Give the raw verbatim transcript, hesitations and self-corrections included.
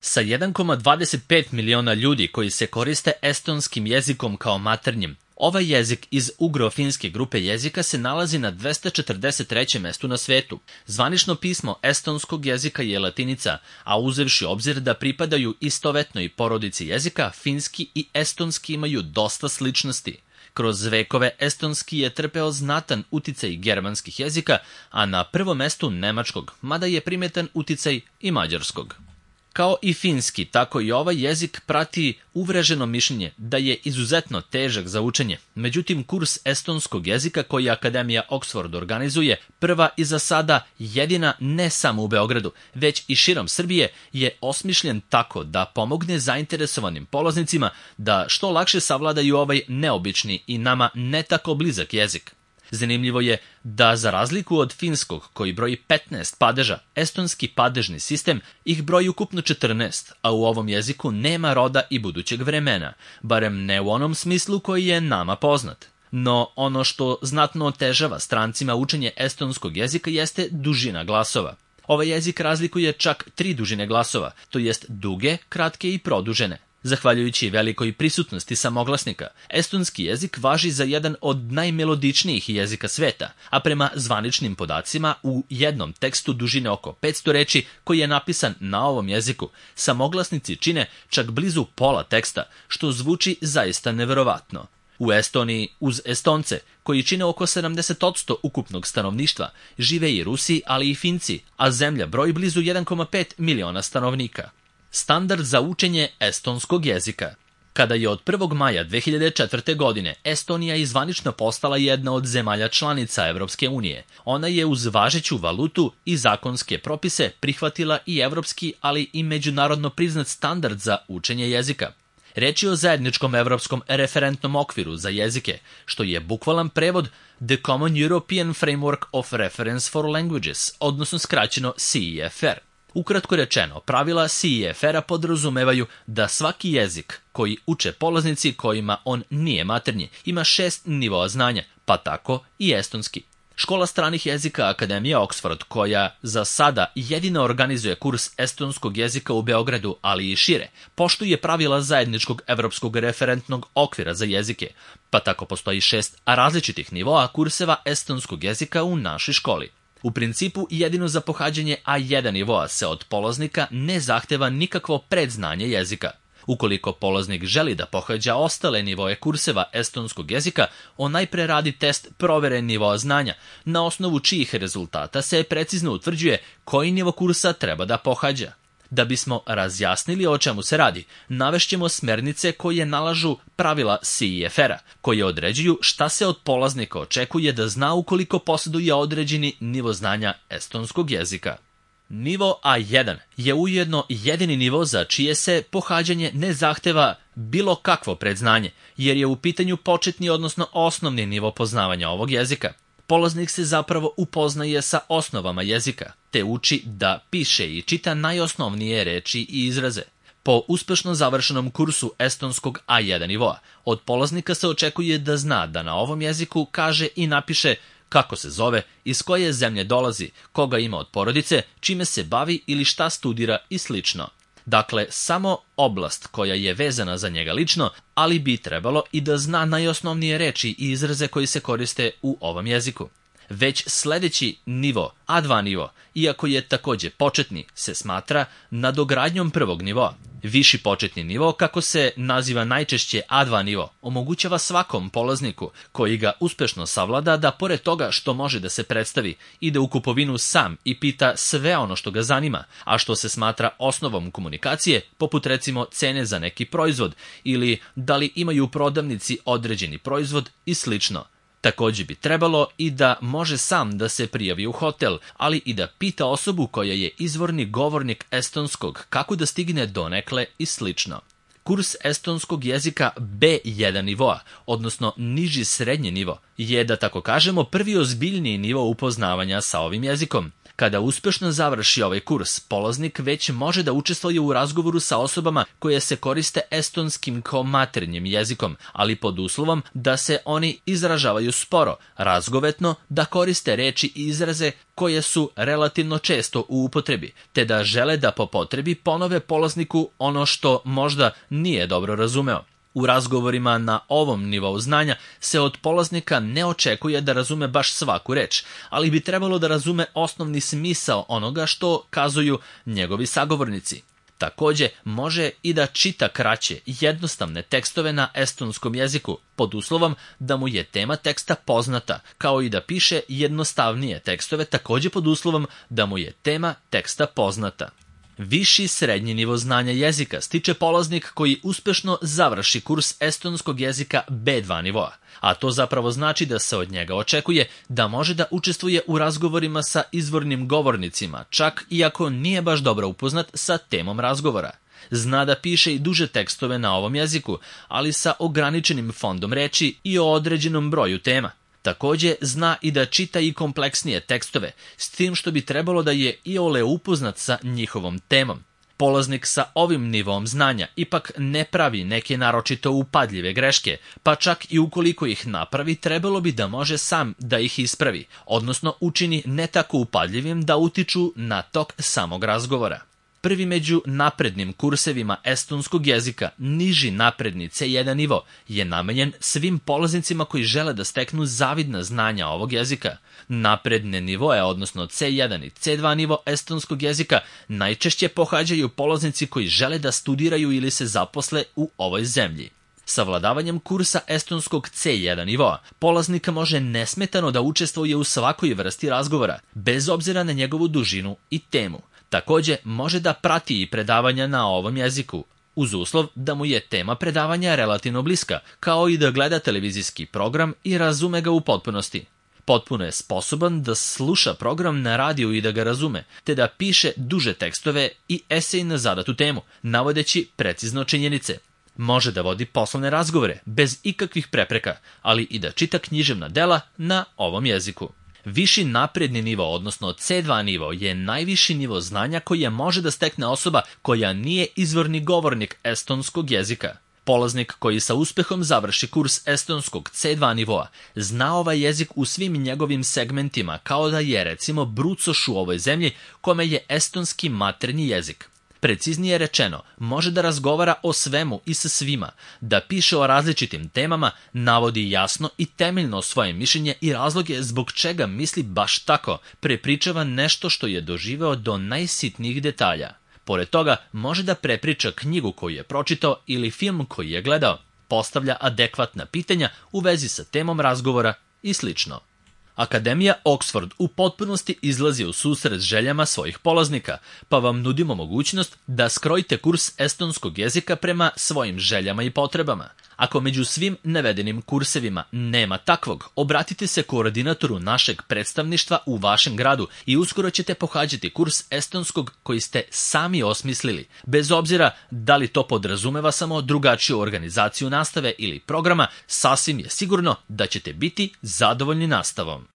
Sa jedan zarez dvadeset pet miliona ljudi koji se koriste estonskim jezikom kao maternjim, ovaj jezik iz ugro-finske grupe jezika se nalazi na dvesta četrdeset trećem mestu na svetu. Zvanično pismo estonskog jezika je latinica, a uzevši obzir da pripadaju istovetnoj porodici jezika, finski i estonski imaju dosta sličnosti. Kroz vekove estonski je trpeo znatan uticaj germanskih jezika, a na prvom mestu nemačkog, mada je primetan uticaj i mađarskog. Kao i finski, tako i ovaj jezik prati uvreženo mišljenje da je izuzetno težak za učenje. Međutim, kurs estonskog jezika koji Akademija Oxford organizuje, prva i za sada jedina ne samo u Beogradu, već i širom Srbije, je osmišljen tako da pomogne zainteresovanim polaznicima da što lakše savladaju ovaj neobični i nama ne tako blizak jezik. Zanimljivo je da, za razliku od finskog, koji broji petnaest padeža, estonski padežni sistem ih broji ukupno četrnaest, a u ovom jeziku nema roda i budućeg vremena, barem ne u onom smislu koji je nama poznat. No, ono što znatno otežava strancima učenje estonskog jezika jeste dužina glasova. Ovaj jezik razlikuje čak tri dužine glasova, to jest duge, kratke i produžene. Zahvaljujući velikoj prisutnosti samoglasnika, estonski jezik važi za jedan od najmelodičnijih jezika sveta, a prema zvaničnim podacima u jednom tekstu dužine oko petsto reči koji je napisan na ovom jeziku, samoglasnici čine čak blizu pola teksta, što zvuči zaista neverovatno. U Estoniji, uz Estonce, koji čine oko sedamdeset posto ukupnog stanovništva, žive i Rusi, ali i Finci, a zemlja broji blizu jedan zarez pet miliona stanovnika. Standard za učenje estonskog jezika. Kada je od prvog maja dve hiljade četvrte. godine Estonija izvanično postala jedna od zemalja članica Evropske unije, ona je uz važeću valutu i zakonske propise prihvatila i evropski, ali i međunarodno priznat standard za učenje jezika. Reč je o zajedničkom evropskom referentnom okviru za jezike, što je bukvalan prevod The Common European Framework of Reference for Languages, odnosno skraćeno C E F R. Ukratko rečeno, pravila C E F R-a podrazumevaju da svaki jezik koji uče polaznici kojima on nije maternji ima šest nivoa znanja, pa tako i estonski. Škola stranih jezika Akademije Oxford, koja za sada jedina organizuje kurs estonskog jezika u Beogradu, ali i šire, poštuje pravila zajedničkog evropskog referentnog okvira za jezike, pa tako postoji šest različitih nivoa kurseva estonskog jezika u našoj školi. U principu, jedino za pohađanje A jedan nivoa se od polaznika ne zahteva nikakvo predznanje jezika. Ukoliko polaznik želi da pohađa ostale nivoe kurseva estonskog jezika, on najpre radi test provere nivoa znanja, na osnovu čijih rezultata se precizno utvrđuje koji nivo kursa treba da pohađa. Da bismo razjasnili o čemu se radi, navešćemo smernice koje nalažu pravila C E F R-a, koje određuju šta se od polaznika očekuje da zna ukoliko posjeduje određeni nivo znanja estonskog jezika. Nivo A jedan je ujedno jedini nivo za čije se pohađanje ne zahteva bilo kakvo predznanje, jer je u pitanju početni, odnosno osnovni nivo poznavanja ovog jezika. Polaznik se zapravo upoznaje sa osnovama jezika, te uči da piše i čita najosnovnije reči i izraze. Po uspešno završenom kursu estonskog A jedan nivoa, od polaznika se očekuje da zna da na ovom jeziku kaže i napiše kako se zove, iz koje zemlje dolazi, koga ima od porodice, čime se bavi ili šta studira i slično. Dakle, samo oblast koja je vezana za njega lično, ali bi trebalo i da zna najosnovnije reči i izraze koji se koriste u ovom jeziku. Već sledeći nivo, A dva nivo, iako je takođe početni, se smatra nadogradnjom prvog nivoa. Viši početni nivo, kako se naziva najčešće A dva nivo, omogućava svakom polazniku koji ga uspešno savlada da pored toga što može da se predstavi, ide u kupovinu sam i pita sve ono što ga zanima, a što se smatra osnovom komunikacije, poput recimo cene za neki proizvod ili da li imaju u prodavnici određeni proizvod i slično. Takođe bi trebalo i da može sam da se prijavi u hotel, ali i da pita osobu koja je izvorni govornik estonskog kako da stigne donekle i slično. Kurs estonskog jezika B jedan nivoa, odnosno niži srednji nivo, je, da tako kažemo, prvi ozbiljniji nivo upoznavanja sa ovim jezikom. Kada uspešno završi ovaj kurs, polaznik već može da učestvuje u razgovoru sa osobama koje se koriste estonskim kao maternjim jezikom, ali pod uslovom da se oni izražavaju sporo, razgovetno, da koriste reči i izraze koje su relativno često u upotrebi, te da žele da po potrebi ponove polazniku ono što možda nije dobro razumeo. U razgovorima na ovom nivou znanja se od polaznika ne očekuje da razume baš svaku reč, ali bi trebalo da razume osnovni smisao onoga što kazuju njegovi sagovornici. Takođe, može i da čita kraće, jednostavne tekstove na estonskom jeziku, pod uslovom da mu je tema teksta poznata, kao i da piše jednostavnije tekstove, takođe pod uslovom da mu je tema teksta poznata. Viši srednji nivo znanja jezika stiče polaznik koji uspešno završi kurs estonskog jezika be dva nivoa, a to zapravo znači da se od njega očekuje da može da učestvuje u razgovorima sa izvornim govornicima, čak i ako nije baš dobro upoznat sa temom razgovora. Zna da piše i duže tekstove na ovom jeziku, ali sa ograničenim fondom reči i o određenom broju tema. Takođe, zna i da čita i kompleksnije tekstove, s tim što bi trebalo da je iole upoznat sa njihovom temom. Polaznik sa ovim nivom znanja ipak ne pravi neke naročito upadljive greške, pa čak i ukoliko ih napravi, trebalo bi da može sam da ih ispravi, odnosno učini ne tako upadljivim da utiču na tok samog razgovora. Prvi među naprednim kursevima estonskog jezika, niži napredni ce jedan nivo, je namenjen svim polaznicima koji žele da steknu zavidna znanja ovog jezika. Napredne nivoe, odnosno ce jedan i ce dva nivo estonskog jezika, najčešće pohađaju polaznici koji žele da studiraju ili se zaposle u ovoj zemlji. Savladavanjem kursa estonskog ce jedan nivoa, polaznik može nesmetano da učestvuje u svakoj vrsti razgovora, bez obzira na njegovu dužinu i temu. Takođe, može da prati i predavanja na ovom jeziku, uz uslov da mu je tema predavanja relativno bliska, kao i da gleda televizijski program i razume ga u potpunosti. Potpuno je sposoban da sluša program na radiju i da ga razume, te da piše duže tekstove i esej na zadatu temu, navodeći precizno činjenice. Može da vodi poslovne razgovore, bez ikakvih prepreka, ali i da čita književna dela na ovom jeziku. Viši napredni nivo, odnosno ce dva nivo, je najviši nivo znanja koje može da stekne osoba koja nije izvorni govornik estonskog jezika. Polaznik koji sa uspehom završi kurs estonskog ce dva nivoa zna ovaj jezik u svim njegovim segmentima, kao da je recimo brucoš u ovoj zemlji kome je estonski maternji jezik. Preciznije rečeno, može da razgovara o svemu i sa svima, da piše o različitim temama, navodi jasno i temeljno svoje mišljenje i razloge zbog čega misli baš tako, prepričava nešto što je doživeo do najsitnijih detalja. Pored toga, može da prepriča knjigu koju je pročitao ili film koji je gledao, postavlja adekvatna pitanja u vezi sa temom razgovora i slično. Akademija Oxford u potpunosti izlazi u susret željama svojih polaznika, pa vam nudimo mogućnost da skrojite kurs estonskog jezika prema svojim željama i potrebama. Ako među svim navedenim kursevima nema takvog, obratite se koordinatoru našeg predstavništva u vašem gradu i uskoro ćete pohađati kurs estonskog koji ste sami osmislili, bez obzira da li to podrazumeva samo drugačiju organizaciju nastave ili programa, sasvim je sigurno da ćete biti zadovoljni nastavom.